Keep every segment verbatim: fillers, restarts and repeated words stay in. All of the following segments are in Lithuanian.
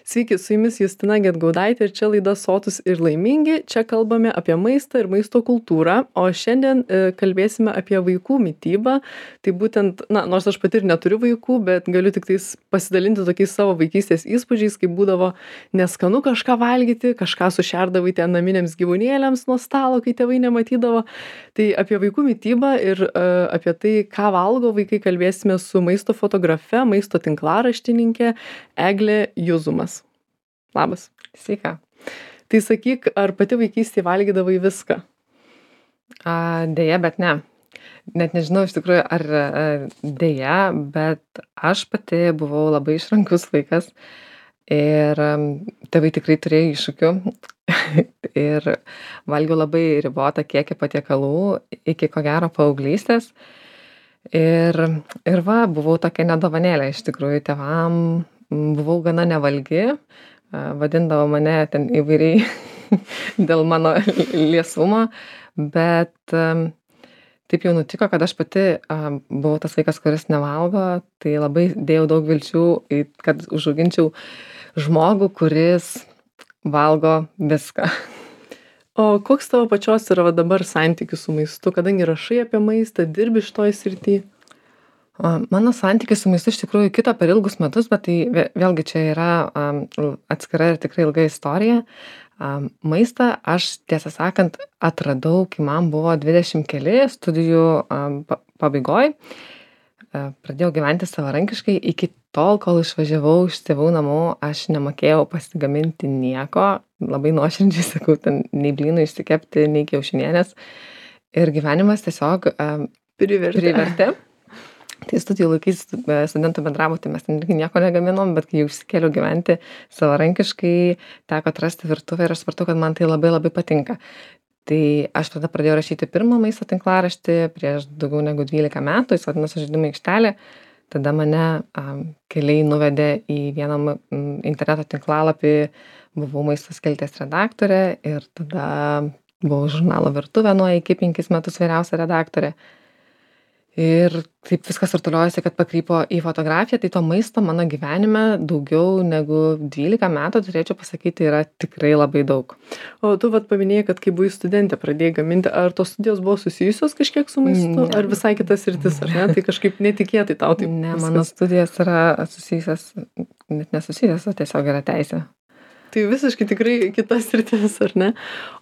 Sveiki, su jumis Justina Gedgaudaitė ir čia laida Sotūs ir laimingi. Čia kalbame apie maistą ir maisto kultūrą, o šiandien e, kalbėsime apie vaikų mitybą. Tai būtent, na, nors aš pati ir neturiu vaikų, bet galiu tik tais pasidalinti tokiais savo vaikystės įspūdžiais, kaip būdavo neskanu kažką valgyti, kažką sušerdavai ten naminiams gyvūnėliams nuo stalo, kai tėvai nematydavo. Tai apie vaikų mitybą ir e, apie tai, ką valgo vaikai, kalbėsime su maisto fotografe, maisto tinklaraštininkė Eglė Juzumas. Labas. Sveika. Tai sakyk, ar pati vaikystėje valgydavai viską? A, deja, bet ne. Net nežinau iš tikrųjų, ar a, deja, bet aš pati buvau labai išrankus vaikas ir a, tėvai tikrai turėjo iššūkių ir valgiau labai ribotą kiekį patiekalų iki ko gero paauglystės. Ir, ir va, buvau tokia nedovanėlė iš tikrųjų tėvam, buvau gana nevalgi. Vadindavo mane ten įvairiai dėl mano liesumo, bet taip jau nutiko, kad aš pati buvau tas vaikas, kuris nevalgo, tai labai dėjau daug vilčių, kad užauginčiau žmogų, kuris valgo viską. O koks tavo pačios yra dabar santykis su maistu, kadangi rašai apie maistą, dirbi šitoj srity? Mano santykis su maistu iš tikrųjų kito per ilgus metus, bet tai vėlgi čia yra um, atskira ir tikrai ilga istorija. Um, maistą aš, tiesą sakant, atradau, kai man buvo dvidešimt keli studijų um, pabaigoj. Uh, pradėjau gyventi savarankiškai. Iki tol, kol išvažiavau iš tėvų namų, aš nemokėjau pasigaminti nieko. Labai nuoširdžiai sakau, ten nei blynų išsikepti, nei kiaušinienės. Ir gyvenimas tiesiog um, Privertė. privertė. Tai studijų laikais studentų bendrabuty mes ten irgi nieko negaminom, bet kai jau išsikėliau gyventi savarankiškai, teko atrasti virtuvę ir aš supratau, kad man tai labai labai patinka. Tai aš tada pradėjau rašyti pirmą maisto tinklaraštį prieš daugiau negu dvylika metų, jis vadinosi Žaidimų aikštelė. Tada mane um, keliai nuvedė į vieną um, interneto tinklalapį, buvau maisto skilties redaktorė ir tada buvau žurnalo Virtuvė nuo iki penkis metus vyriausia redaktorė. Ir taip viskas artuliuojasi, kad pakrypo į fotografiją, tai to maisto mano gyvenime daugiau negu dvylika metų, turėčiau pasakyti, yra tikrai labai daug. O tu vat paminėjai, kad kai buvai studentė pradėjai gaminti, ar tos studijos buvo susijusios kažkiek su maistu, Ne. ar visai kitas sritis, ar ne? Tai kažkaip netikėtai tau taip. Ne, viskas. mano studijas yra susijusios, net nesusijusios, o tiesiog yra teisė. Tai visiškai tikrai kitas sritis, ar ne?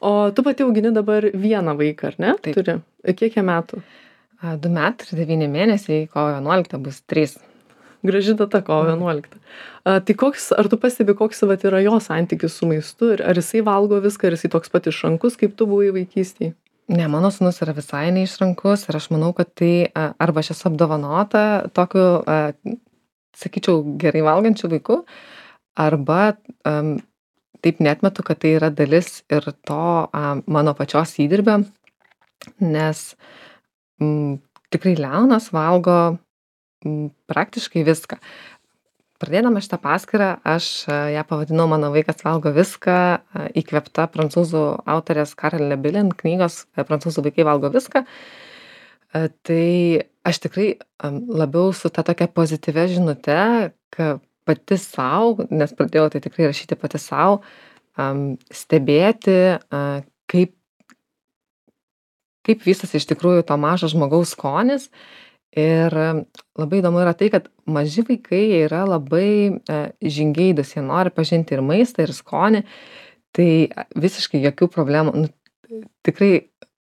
O tu pati augini dabar vieną vaiką, ar ne? Taip. Turi. Kiek jam metų? A, Du metai ir devyni mėnesiai, kovo vienuolikta bus trys. Graži data, kovo vienuolikta. A, tai koks, ar tu pastebi, koks vat yra jo santykis su maistu? Ir ar jisai valgo viską, ar jisai toks pat išrankus, kaip tu buvai vaikystėje? Ne, mano sūnus yra visai neišrankus ir aš manau, kad tai a, arba aš esu apdovanota tokiu, a, sakyčiau, gerai valgančiu vaiku, arba am, taip neatmetu, kad tai yra dalis ir to a, mano pačios įdirbio, nes m, tikrai Leonas valgo m, praktiškai viską. Pradėdama šitą paskyrą, aš a, ją pavadinau Mano vaikas valgo viską, a, įkvėpta prancūzų autorės Carol Lebilin knygos a, Prancūzų vaikai valgo viską. A, Tai aš tikrai am, labiau su ta tokia pozityvia žinute, kad pati savo, nes pradėjau tai tikrai rašyti pati savo, stebėti, a, kaip kaip vystosi iš tikrųjų to mažo žmogaus skonis. Ir labai įdomu yra tai, kad maži vaikai jie yra labai e, žingeidūs, jie nori pažinti ir maistą, ir skonį. Tai visiškai jokių problemų. Nu, tikrai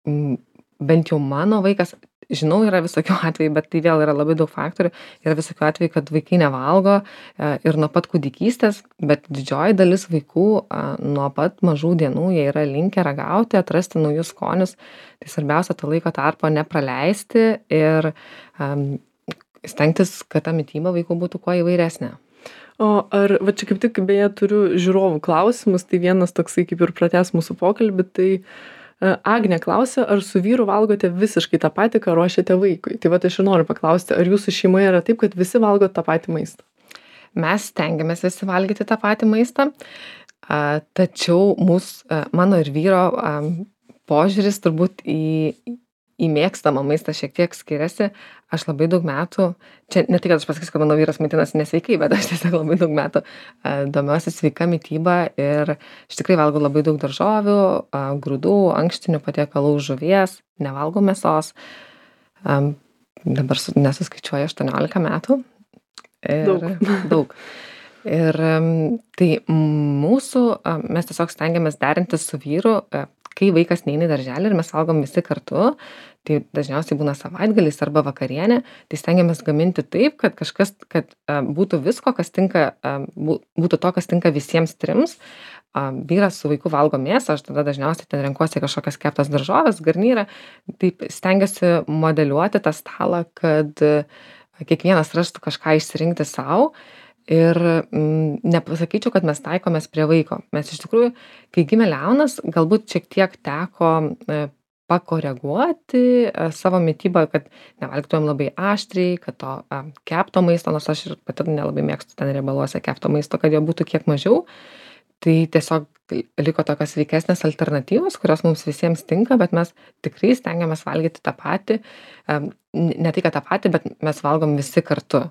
m, bent jau mano vaikas, žinau, yra visokių atvejų, bet tai vėl yra labai daug faktorių. Yra visokių atvejų, kad vaikai nevalgo e, ir nuo pat kūdikystės, bet didžioji dalis vaikų e, nuo pat mažų dienų jie yra linkę ragauti, atrasti naujus skonius. Tai svarbiausia tą laiko tarpą nepraleisti ir um, stengtis, kad ta mityba vaikų būtų kuo įvairesnė. O ar, va čia kaip tik beje turiu žiūrovų klausimus, tai vienas toksai kaip ir pratęs mūsų pokalbį, tai uh, Agnė klausia, ar su vyru valgote visiškai tą patį, ką ruošiate vaikui? Tai va aš ir noriu paklausti, ar jūsų šeimoje yra taip, kad visi valgo tą patį maistą? Mes stengiamės visi valgyti tą patį maistą, uh, tačiau mūsų, uh, mano ir vyro um, požiūris turbūt į, į mėgstamą maistą šiek tiek skiriasi. Aš labai daug metų, čia ne tai, kad aš pasakysiu, kad mano vyras maitinasi nesveikai, bet aš tiesiog labai daug metų a, domiuosi sveika mityba ir iš tikrai valgau labai daug daržovių, a, grūdų, ankštinių patiekalų, žuvies, nevalgau mėsos. A, dabar su- nesuskaičiuoju aštuoniolika metų. Ir, Daug. daug. Ir am, tai mūsų, a, mes tiesiog stengiamės derinti su vyru, a, kai vaikas neina į darželį ir mes valgom visi kartu, tai dažniausiai būna savaitgalis arba vakarienė, tai stengiamės gaminti taip, kad kažkas, kad a, būtų visko, kas tinka, a, bū- būtų to, kas tinka visiems trims. A, vyras su vaiku valgo mėsą, aš tada dažniausiai ten renkuosi kažkokias keptas daržovės, garnyrą, taip stengiuosi modeliuoti tą stalą, kad a, kiekvienas rastų kažką išsirinkti savo. Ir mm, nepasakyčiau, kad mes taikomės prie vaiko. Mes iš tikrųjų, kai gimė Leonas, galbūt šiek tiek teko e, pakoreguoti e, savo mitybą, kad nevalgytumėm labai aštriai, kad to e, kepto maisto, nors aš ir pati nelabai mėgstu ten riebaluose kepto maisto, kad jo būtų kiek mažiau. Tai tiesiog liko tokios sveikesnės alternatyvos, kurios mums visiems tinka, bet mes tikrai stengiamės valgyti tą patį. E, ne tai, kad tą patį, bet mes valgom visi kartu.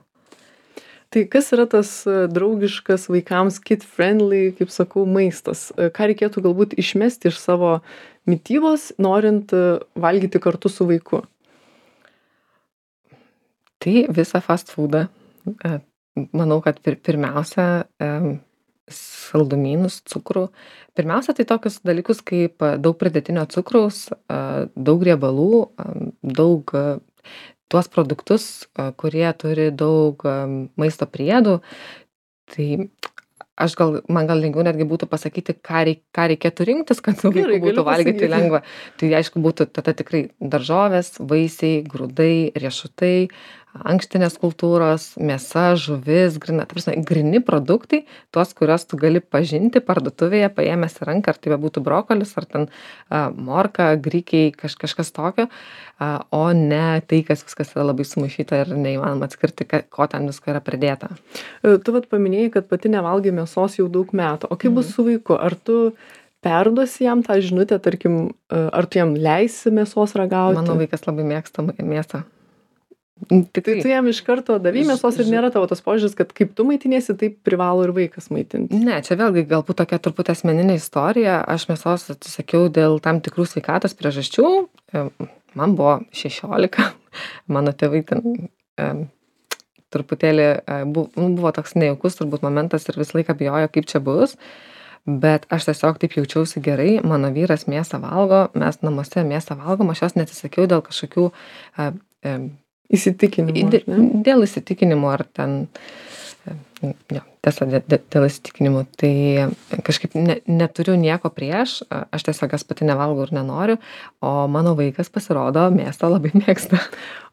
Tai kas yra tas e, draugiškas vaikams kid friendly, kaip sakau, maistas? E, Ką reikėtų galbūt išmesti iš savo mitybos, norint e, valgyti kartu su vaiku? Tai visą fast foodą. E, Manau, kad pir pirmiausia e, saldumynus, cukrų. Pirmiausia, tai tokius dalykus kaip e, daug pridėtinio cukraus, e, daug riebalų, e, daug e, tuos produktus, e, kurie turi daug e, maisto priedų. Tai aš gal, man gal lengviau netgi būtų pasakyti, ką, reik, ką reikėtų rinktis, kad su Gerai, vaiku galiu būtų valgyti pasakyti. lengva. Tai aišku būtų tada tikrai daržovės, vaisiai, grūdai, riešutai, ankštinės kultūros, mėsa, žuvis, grina, ta prasme, grini produktai, tuos, kuriuos tu gali pažinti parduotuvėje, paėmęs į ranką, ar tai būtų brokolis, ar ten a, morka, grikiai, kaž, kažkas tokio, a, o ne tai, kas viskas yra labai sumaišyta ir neįmanoma atskirti, ka- ko ten visko yra pridėta. E, Tu vat paminėjai, kad pati nevalgai mėsos jau daug metų. O kaip bus su vaiku? Ar tu perduosi jam tą žinutę, tarkim, e, ar tu jam leisi mėsos ragauti? Mano vaikas labai mėgsta ma- mėsą. Tai Tikrai. tu jam iš karto davei Ž- mėsos ir ž- nėra tavo tas požiūris, kad kaip tu maitiniesi, taip privalo ir vaikas maitinti. Ne, čia vėlgi galbūt tokia truputį asmeninė istorija. Aš mėsos atsisakiau dėl tam tikrų sveikatos priežasčių. E, Man buvo šešiolika. Mano tėvai ten e, truputėlį e, bu- nu, buvo toks nejaukus turbūt momentas ir visą laiką bijojo, kaip čia bus. Bet aš tiesiog taip jaučiausi gerai. Mano vyras mėsą valgo, mes namuose mėsą valgom, aš jos neatsisakiau dėl kažkokių e, e, Įsitikinimų. Dė- ar ne? Dėl įsitikinimų ar ten, e, jo, tiesa, dė- dė- dėl įsitikinimų, tai kažkaip ne, neturiu nieko prieš, a- aš tiesiog jas pati nevalgau ir nenoriu, o mano vaikas pasirodo mėsą labai mėgsta.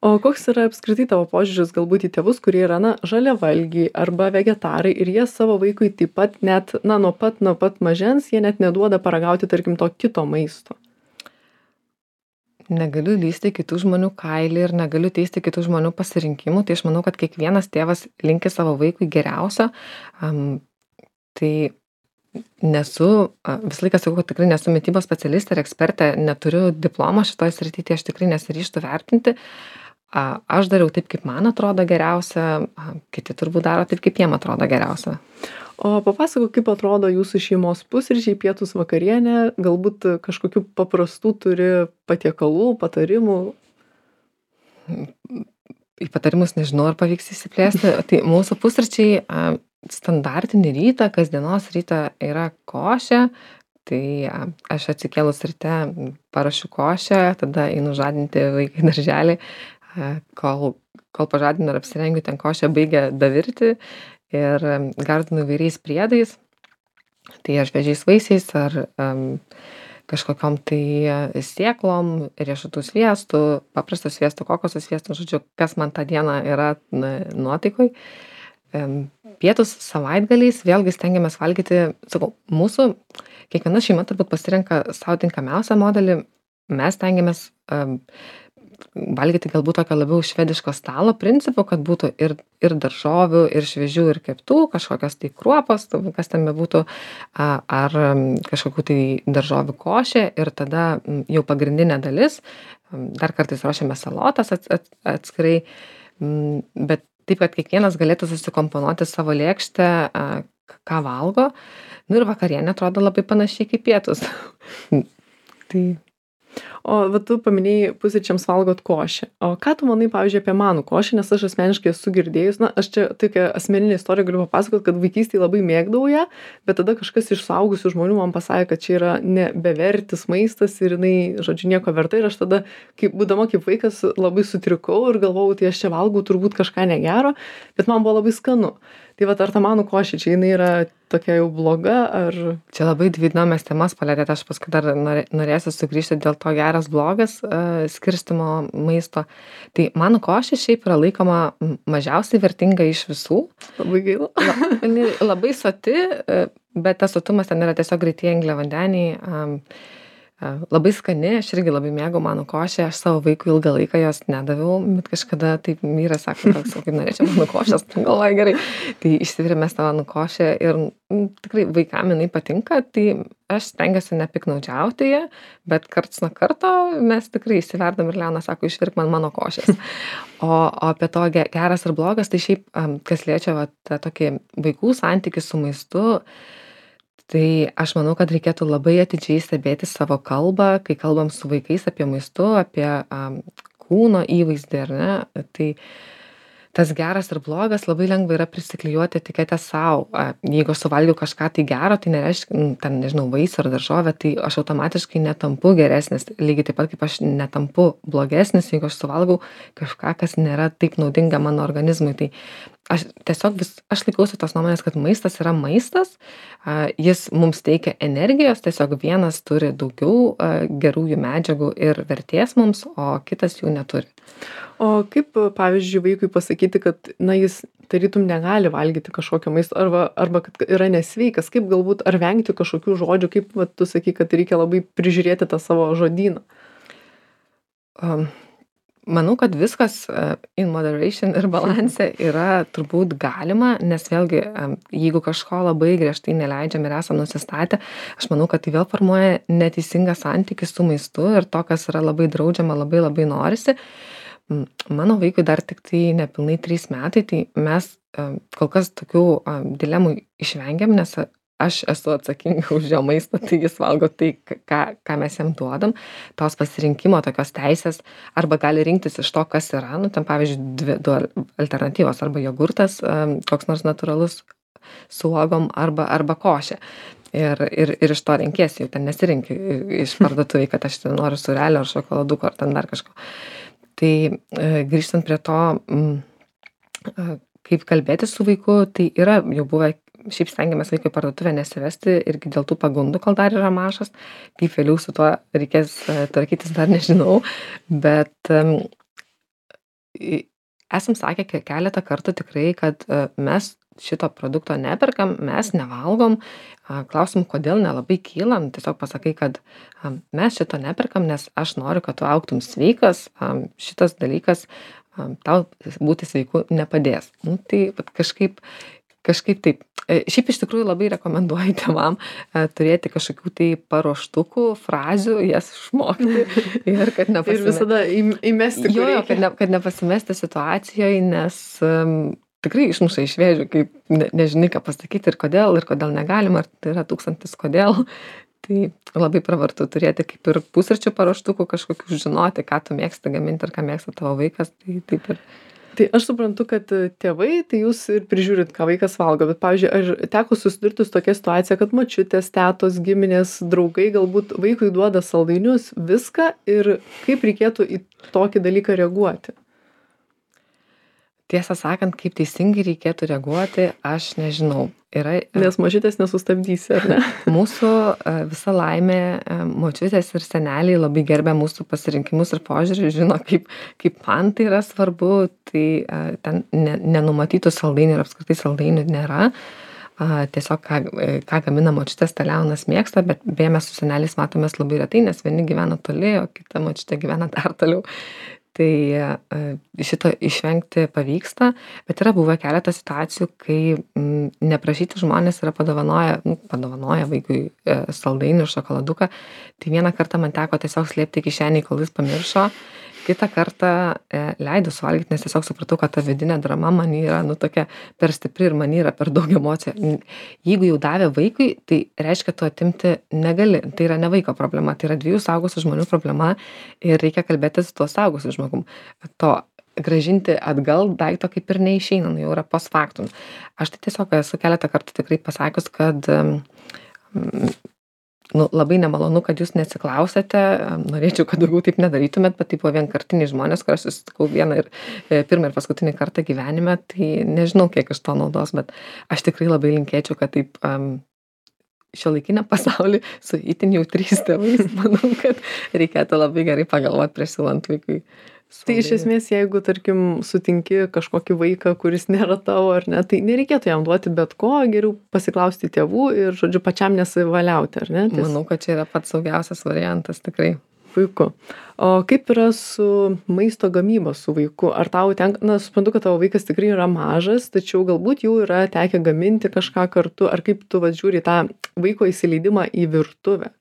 O koks yra apskritai tavo požiūris galbūt į tėvus, kurie yra, na, žaliavalgiai arba vegetarai ir jie savo vaikui taip pat net, na, nuo pat, nuo pat mažens, jie net neduoda paragauti, tarkim, to kito maisto. Negaliu lysti į kitų žmonių kailį ir negaliu teisti kitų žmonių pasirinkimų, tai aš manau, kad kiekvienas tėvas linki savo vaikui geriausio. Um, tai nesu, a, visą laiką sakau, kad tikrai nesu mitybos specialistė ir ekspertė, neturiu diplomo šitoje srityje, tai aš tikrai nesiryžtu vertinti. A, Aš dariau taip, kaip man atrodo geriausia, a, kiti turbūt daro taip, kaip jiem atrodo geriausia. O papasakok, kaip atrodo jūsų šeimos pusryčiai, pietus, vakarienė, galbūt kažkokių paprastų turi patiekalų, patarimų. Į patarimus nežinau, ar pavyks įsiplėsti. Tai mūsų pusryčiai a, standartinį rytą, kasdienos rytą yra košė. Tai a, aš atsikėlus ryte parašiu košę, tada einu žadinti vaiką į darželį, a, kol, kol pažadinu ir apsirengiu, ten košė baigia davirti ir em, gardinu įvairiais priedais. Tai ar šviežiais vaisiais, ar um, kažkokiom tai e, sėklom, riešutų sviestu, paprasto sviestu, kokoso sviestu, žodžiu, kas man tą dieną yra na, nuotaikoj. Em, Pietus savaitgaliais vėlgi stengiamės valgyti, sakau, mūsų, kiekviena šeima turbūt pasirenka savo tinkamiausią modelį, mes stengiamės um, valgyti galbūt tokio labiau švediško stalo principu, kad būtų ir, ir daržovių, ir šviežių, ir keptų, kažkokios tai kruopos, kas ten bebūtų, a, ar m, kažkokių tai daržovių košė ir tada m, jau pagrindinė dalis, m, dar kartais ruošiame salotas ats, ats, atskirai, m, bet taip, kad kiekvienas galėtų susikomponuoti savo lėkštę, a, ką valgo. Nu ir vakarienė atrodo labai panašiai kaip pietus. Tai O va tu paminėjai pusryčiams valgot košę. O ką tu manai, pavyzdžiui, apie manų košę, nes aš asmeniškai esu girdėjus, na, aš čia tokią asmeninę istoriją galiu papasakot, kad vaikystėje labai mėgdavau ją, bet tada kažkas iš suaugusių žmonių man pasakė, kad čia yra ne bevertis maistas ir jinai, žodžiu, nieko verta ir aš tada, kaip, būdama kaip vaikas, labai sutrikau ir galvojau, tai aš čia valgau turbūt kažką negero, bet man buvo labai skanu. Tai va, ar ta manų košė čia jinai yra tokia jau bloga, ar... Čia labai dvi įdomias temas palėtėte, aš paskui dar norėsiu sugrįžti dėl to geras blogas uh, skirstimo maisto. Tai manų košė šiaip yra laikoma mažiausiai vertinga iš visų. Labai gaila. La, labai soti, bet tas sotumas ten yra tiesiog greitieji angliavandeniai. Um, Labai skani, aš irgi labai mėgau manų košę, aš savo vaikui ilgą laiką jos nedaviau, bet kažkada taip vyras sako, toks, kaip norėčiau manų košės, galvoju gerai, tai išsivirėme tą manų košę ir m, tikrai vaikam jinai patinka, tai aš stengiuosi nepiknaudžiauti ją, bet karts nuo karto mes tikrai įsiverdam ir Leona sako, išvirk man mano košės. O, o apie to geras ir blogas, tai šiaip, kas liečia va, tą tokį vaikų santykį su maistu, tai aš manau, kad reikėtų labai atidžiai stebėti savo kalbą, kai kalbam su vaikais apie maistu, apie um, kūno įvaizdį, ar ne? Tai tas geras ir blogas labai lengva yra prisiklijuoti etiketę savo. Jeigu aš suvalgiau kažką tai gero, tai nereiškia, ten, nežinau, vaisių ar daržovę, tai aš automatiškai netampu geresnis. Lygiai taip pat kaip aš netampu blogesnis, jeigu aš suvalgau kažką, kas nėra taip naudinga mano organizmui. Tai aš tiesiog vis, aš laikausi tos nuomonės, kad maistas yra maistas, jis mums teikia energijos, tiesiog vienas turi daugiau gerųjų medžiagų ir vertės mums, o kitas jų neturi. O kaip, pavyzdžiui, vaikui pasakyti, kad, na, jis tarytum negali valgyti kažkokio maisto, arba, arba kad yra nesveikas, kaip galbūt, ar vengti kažkokių žodžių, kaip va, tu sakai, kad reikia labai prižiūrėti tą savo žodyną? Um. Manau, kad viskas in moderation ir balanse yra turbūt galima, nes vėlgi, jeigu kažko labai griežtai neleidžiam ir esam nusistatę, aš manau, kad tai vėl formuoja neteisingą santykį su maistu ir to, kas yra labai draudžiama, labai labai norisi. Mano vaikui dar tik tai nepilnai trys metai, tai mes kol kas tokių dilemų išvengiam, nes aš esu atsakinga už jo maistą, tai jis valgo tai, ką, ką mes jam duodam, tos pasirinkimo tokios teisės, arba gali rinktis iš to, kas yra, nu, ten pavyzdžiui, dvi, du alternatyvos, arba jogurtas, koks nors natūralus su uogom, arba, arba košė. Ir, ir, ir iš to renkiesi, jau ten nesirinki iš parduotuvėj, kad aš ten noriu surelio ar šokoladuko, ar ten dar kažko. Tai grįžtant prie to, kaip kalbėti su vaiku, tai yra jau buvę, šiaip stengiamės vaikui parduotuvę nesivesti irgi dėl tų pagundų, kol dar yra mažas, kaip vėliau su tuo reikės tvarkytis dar nežinau, bet um, esam sakę keletą kartų tikrai, kad uh, mes šito produkto neperkam, mes nevalgom, uh, klausim, kodėl nelabai kylam, tiesiog pasakai, kad um, mes šito neperkam, nes aš noriu, kad tu augtum sveikas, um, šitas dalykas um, tau būti sveiku nepadės. Nu, tai kažkaip Kažkaip taip. Šiaip iš tikrųjų labai rekomenduoju tėvam turėti kažkokių tai paruoštukų, frazių, jas išmokti ir kad nepasimesti. Ir visada įmesti. Jo, jo, kad, ne, kad nepasimesti situacijoje, nes um, tikrai išmuša iš vėžių, kaip ne, nežinai, ką pasakyti ir kodėl, ir kodėl negalima, ar tai yra tūkstantis kodėl. Tai labai pravartu turėti kaip ir pusryčių paruoštukų, kažkokių žinoti, ką tu mėgsti gaminti ir ką mėgsta tavo vaikas. Tai taip ir... Tai aš suprantu, kad tėvai, tai jūs ir prižiūrit, ką vaikas valgo, bet, pavyzdžiui, ar teko susidurti su tokia situacija, kad močiutės, tetos, giminės, draugai galbūt vaikui duoda saldainius, viską ir kaip reikėtų į tokį dalyką reaguoti? Tiesą sakant, kaip teisingai reikėtų reaguoti, aš nežinau. Yra, nes močiutės nesustabdysi, ar ne? Mūsų visa laimė, močiutės ir seneliai labai gerbia mūsų pasirinkimus ir požiūrį, žino, kaip, kaip man tai yra svarbu, tai ten nenumatytų saldainių ir apskritai saldainių nėra. Tiesiog, ką, ką gamina močiutės, tą Leonas mėgsta, bet beje mes su seneliais matomės labai retai, nes vieni gyvena toli, o kita močiutė gyvena dar toliau. Tai e, šito išvengti pavyksta, bet yra buvę keletą situacijų, kai m, neprašyti žmonės yra padovanoję, nu, padovanoję vaikui e, saldainių ir šokoladuką. Tai vieną kartą man teko tiesiog slėpti kišenį, kol jis pamiršo. Kitą kartą e, leidau suvalgyti, nes tiesiog supratau, kad ta vidinė drama man yra nu, tokia per stipri ir man yra per daug emocijų. Jeigu jau davė vaikui, tai reiškia, tu atimti negali. Tai yra ne vaiko problema, tai yra dviejų suaugusių žmonių problema ir reikia kalbėti su tuo suaugusiu žmogum. To grąžinti atgal daikto kaip ir neišeina, nu, jau yra post factum. Aš tai tiesiog esu keletą kartų tikrai pasakius, kad um, nu, labai nemalonu, kad jūs neatsiklausėte, norėčiau, kad daugiau taip nedarytumėt, bet tai buvo vienkartiniai žmonės, kur aš susitikau vieną ir e, pirmą ir paskutinį kartą gyvenime, tai nežinau, kiek iš to naudos, bet aš tikrai labai linkėčiau, kad taip um, šiuolaikinę pasaulį su itin jautriais tėvais, manau, kad reikėtų labai gerai pagalvoti prieš siūlant vaikui. Tai iš esmės, jeigu, tarkim, sutinki kažkokį vaiką, kuris nėra tavo ar ne, tai nereikėtų jam duoti bet ko, geriau pasiklausti tėvų ir, žodžiu, pačiam nesivaliauti, ar ne? Ties... Manau, kad čia yra pats saugiausias variantas, tikrai. Puiku. O kaip yra su maisto gamyba su vaiku? Ar tau tenka, na, suprantu, kad tavo vaikas tikrai yra mažas, tačiau galbūt jau yra tekę gaminti kažką kartu, ar kaip tu va žiūri tą vaiko įsileidimą į virtuvę?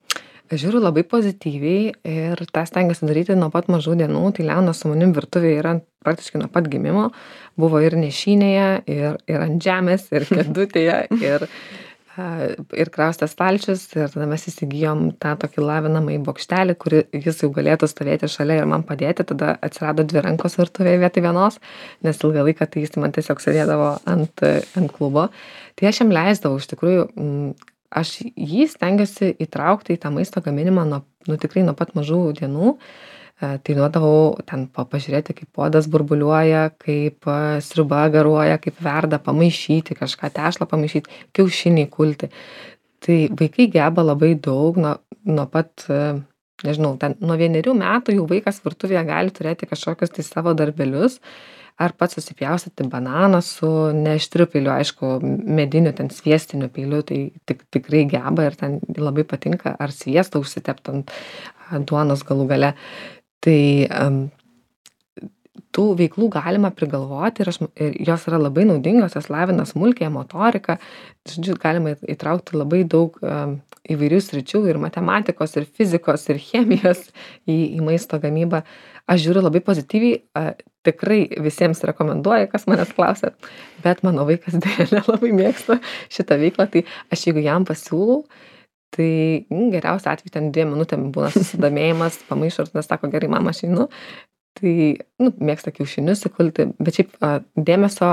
Aš žiūriu labai pozityviai ir tą stengiuosi daryti nuo pat mažų dienų. Tai Leonas su manim virtuvėje yra praktiškai nuo pat gimimo. Buvo ir nešinėje, ir, ir ant žemės, ir kėdutėje, ir, ir kraustas stalčius. Ir tada mes įsigijom tą tokį lavinamąjį bokštelį, kurį jis jau galėtų stovėti šalia ir man padėti. Tada atsirado dvi rankos virtuvėje vietoj vienos, nes ilgą laiką tai jis man tiesiog sėdėdavo ant, ant klubo. Tai aš jam leisdavau iš tikrųjų. Aš jį stengiuosi įtraukti į tą maisto gaminimą nuo, nu, tikrai nuo pat mažų dienų. E, tai duodavau ten pažiūrėti, kaip puodas burbuliuoja, kaip e, sriuba garuoja, kaip verda, pamaišyti kažką, tešlą pamaišyti, kiaušiniai kulti. Tai vaikai geba labai daug, nuo, nuo pat, e, nežinau, ten, nuo vienerių metų jau vaikas virtuvėje gali turėti kažkokius tai savo darbelius. Ar pats susipjaustyti bananą su neaštriu peiliu, aišku, mediniu, ten sviestiniu peiliu, tai tik, tikrai geba ir ten labai patinka, ar sviestą užsitept ant duonos galų gale. Tai um, tų veiklų galima prigalvoti ir, aš, ir jos yra labai naudingos, jos lavina smulkiąją motoriką, žodžiu, galima įtraukti labai daug um, įvairių sričių ir matematikos, ir fizikos, ir chemijos į, į maisto gamybą. Aš žiūriu labai pozityviai, a, tikrai visiems rekomenduoju, kas manęs klausia, bet mano vaikas dėja nelabai mėgsta šitą veiklą, tai aš jeigu jam pasiūlau, tai mm, geriausia atveju ten dviem minutėm būna susidomėjimas, pamaišo ir tada sako, gerai, mama, aš einu, tai nu, mėgsta kiaušinius įkulti, bet šiaip a, dėmesio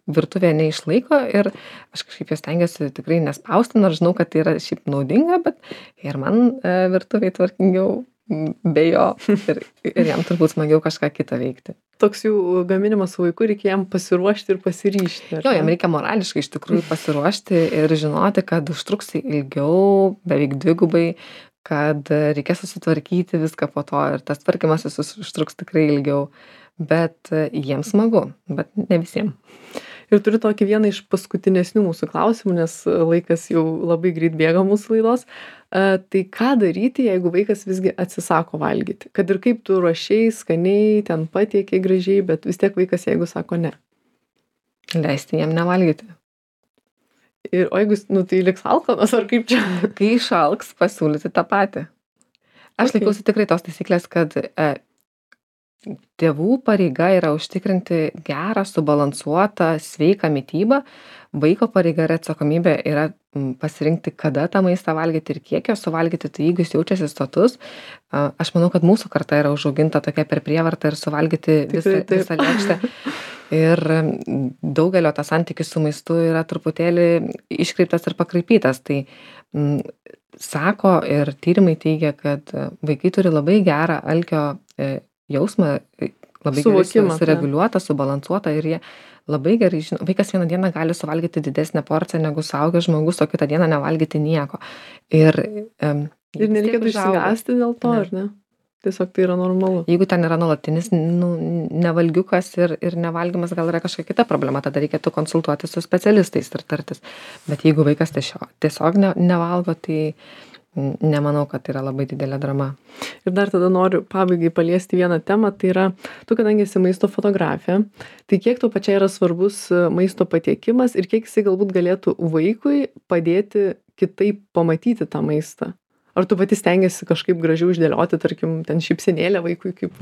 virtuvėje neišlaiko ir aš kažkaip jos stengiuosi tikrai nespausti, nors žinau, kad tai yra šiaip naudinga, bet ir man e, virtuvėje tvarkingiau be jo ir, ir jam turbūt smagiau kažką kitą veikti. Toks jų gaminimas su vaiku, reikia jam pasiruošti ir pasiryšti. Jo, jam reikia morališkai iš tikrųjų pasiruošti ir žinoti, kad užtruks ilgiau, beveik dvigubai, kad reikės susitvarkyti viską po to ir tas tvarkymasis užtruks tikrai ilgiau, bet jiems smagu, bet ne visiems. Ir turiu tokį vieną iš paskutinesnių mūsų klausimų, nes laikas jau labai greit bėga mūsų laidos. Uh, tai ką daryti, jeigu vaikas visgi atsisako valgyti? Kad ir kaip tu ruošiai, skaniai, ten patiekiai gražiai, bet vis tiek vaikas, jeigu sako ne. Leisti jam nevalgyti. Ir, o jeigu, nu, tai liks alkanas, ar kaip čia? Kai išalks, pasiūlyti tą patį. Aš okay. laikausi tikrai tos taisyklės, kad e, tėvų pareiga yra užtikrinti gerą, subalansuotą, sveiką mitybą. Vaiko pareiga ir atsakomybė yra pasirinkti, kada tą maistą valgyti ir kiek jo suvalgyti. Tai jeigu jis jaučiasi sotus, aš manau, kad mūsų karta yra užauginta tokia per prievartą ir suvalgyti visą, visą lėkštę. Ir daugelio tas santykis su maistu yra truputėlį iškreiptas ir pakraipytas. Tai m, sako ir tyrimai teigia, kad vaikai turi labai gerą alkio e, jausmą, labai gerai sureguliuotą, subalansuotą ir jie labai gerai žino. Vaikas vieną dieną gali suvalgyti didesnę porciją negu suaugęs žmogus, o kitą dieną nevalgyti nieko. Ir, um, ir nereikėtų išsigąsti dėl to, ne. ar ne? Tiesiog tai yra normalu. Jeigu ten yra nuolatinis nu, nevalgiukas ir, ir nevalgymas, gal yra kažkokia kita problema, tada reikėtų konsultuoti su specialistais ir tartis. Bet jeigu vaikas tiesiog, tiesiog ne, nevalgo, tai n- nemanau, kad tai yra labai didelė drama. Ir dar tada noriu pabaigai paliesti vieną temą, tai yra, tu kadangi esi maisto fotografė, tai kiek tau pačiai yra svarbus e, maisto patiekimas ir kiek jisai galbūt galėtų vaikui padėti kitaip pamatyti tą maistą? Ar tu pati stengiasi kažkaip gražiau išdėlioti, tarkim, ten šypsenėlę vaikui kaip...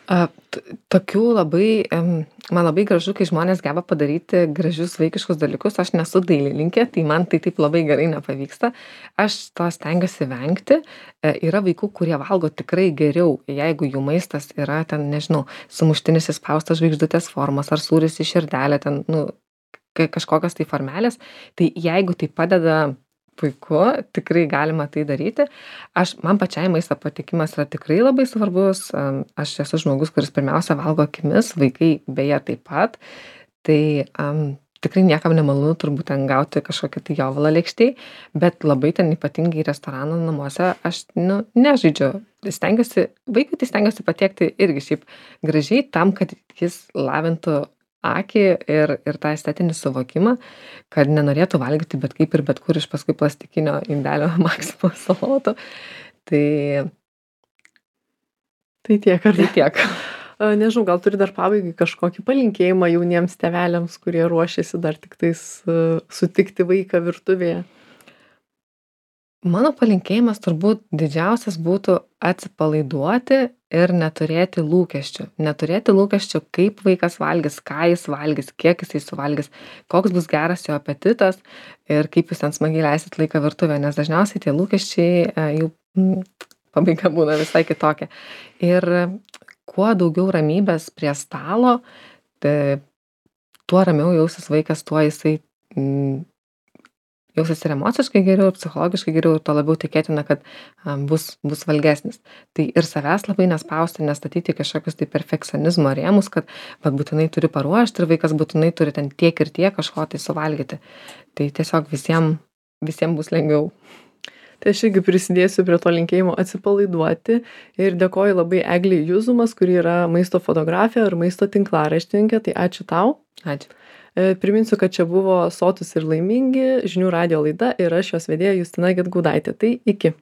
A, t- tokių labai, em, man labai gražu, kai žmonės geba padaryti gražius vaikiškus dalykus. Aš nesu dailininkė, tai man tai taip labai gerai nepavyksta. Aš to stengiuosi vengti. E, yra vaikų, kurie valgo tikrai geriau, jeigu jų maistas yra ten, nežinau, sumuštinis įspaustas žvaigždutės formos ar sūris į širdelę, ten, nu, ka- kažkokios tai formelės. Tai jeigu tai padeda, puiku, tikrai galima tai daryti. Aš, man pačiai maisto patikimas yra tikrai labai svarbus. Am, Aš esu žmogus, kuris pirmiausia valgo akimis, vaikai beje taip pat. Tai um, tikrai niekam nemalonu turbūt ten gauti kažkokią tai jovalą lėkštėj, bet labai ten ypatingai restorano namuose aš, nu, nežaidžiu. Stengiuosi, vaikui tai stengiuosi patiekti irgi šiaip gražiai tam, kad jis lavintų akį ir, ir tą estetinį suvokimą, kad nenorėtų valgyti bet kaip ir bet kur iš paskui plastikinio indelio Maximo salotų. Tai, Tai tiek, ar tai tiek. A, nežinau, gal turi dar pabaigai kažkokį palinkėjimą jauniems tėveliams, kurie ruošiasi dar tik tais uh, sutikti vaiką virtuvėje. Mano palinkėjimas turbūt didžiausias būtų atsipalaiduoti ir neturėti lūkesčių. Neturėti lūkesčių, kaip vaikas valgys, ką jis valgys, kiek jisai suvalgys, koks bus geras jo apetitas ir kaip jūs ten smagiai leisit laiką virtuvę, nes dažniausiai tie lūkesčiai e, jų mm, pabaiga būna visai kitokia. Ir kuo daugiau ramybės prie stalo, tai tuo ramiau jausis vaikas, tuo jisai mm, jausis ir emociškai geriau, ir psichologiškai geriau, ir to labiau tikėtina, kad um, bus, bus valgesnis. Tai ir savęs labai nespausti, nestatyti kažkokius tai perfekcionizmo rėmus, kad vat, būtinai turi paruošti ir vaikas būtinai turi ten tiek ir tiek kažko tai suvalgyti. Tai tiesiog visiems visiem bus lengviau. Tai aš irgi prisidėsiu prie to linkėjimo atsipalaiduoti ir dėkoju labai Eglei Juzumas, kuri yra maisto fotografė ir maisto tinklaraštininkė. Tai ačiū tau. Ačiū. Priminsiu, kad čia buvo Sotūs ir laimingi žinių radijo laida ir aš jos vedėja Justina Gedgaudaitė. Tai iki.